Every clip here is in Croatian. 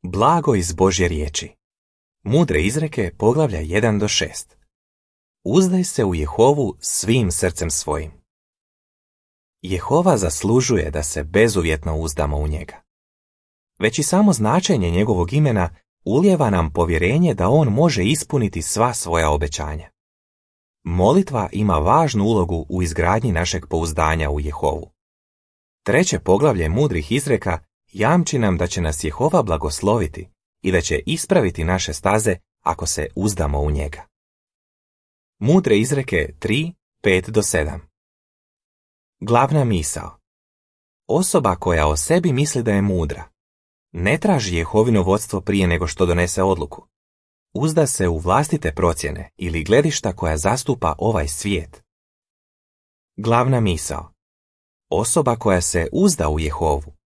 Blago iz Božje riječi. Mudre izreke, poglavlja 1-6. Uzdaj se u Jehovu svim srcem svojim. Jehova zaslužuje da se bezuvjetno uzdamo u njega. Već i samo značenje njegovog imena ulijeva nam povjerenje da on može ispuniti sva svoja obećanja. Molitva ima važnu ulogu u izgradnji našeg pouzdanja u Jehovu. 3. poglavlje mudrih izreka jamči nam da će nas Jehova blagosloviti i da će ispraviti naše staze ako se uzdamo u njega. Mudre izreke 3:5-7. Glavna misao. Osoba koja o sebi misli da je mudra ne traži Jehovino vodstvo prije nego što donese odluku. Uzda se u vlastite procjene ili gledišta koja zastupa ovaj svijet. Glavna misao. Osoba koja se uzda u Jehovu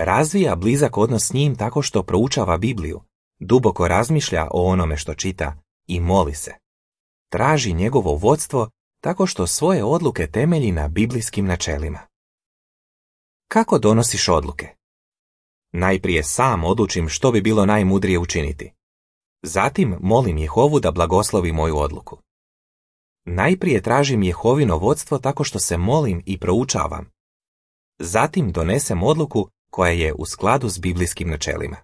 razvija blizak odnos s njim tako što proučava Bibliju, duboko razmišlja o onome što čita i moli se. Traži njegovo vodstvo tako što svoje odluke temelji na biblijskim načelima. Kako donosiš odluke? Najprije sam odlučim što bi bilo najmudrije učiniti. Zatim molim Jehovu da blagoslovi moju odluku. Najprije tražim Jehovino vodstvo tako što se molim i proučavam. Zatim donesem odluku koja je u skladu s biblijskim načelima.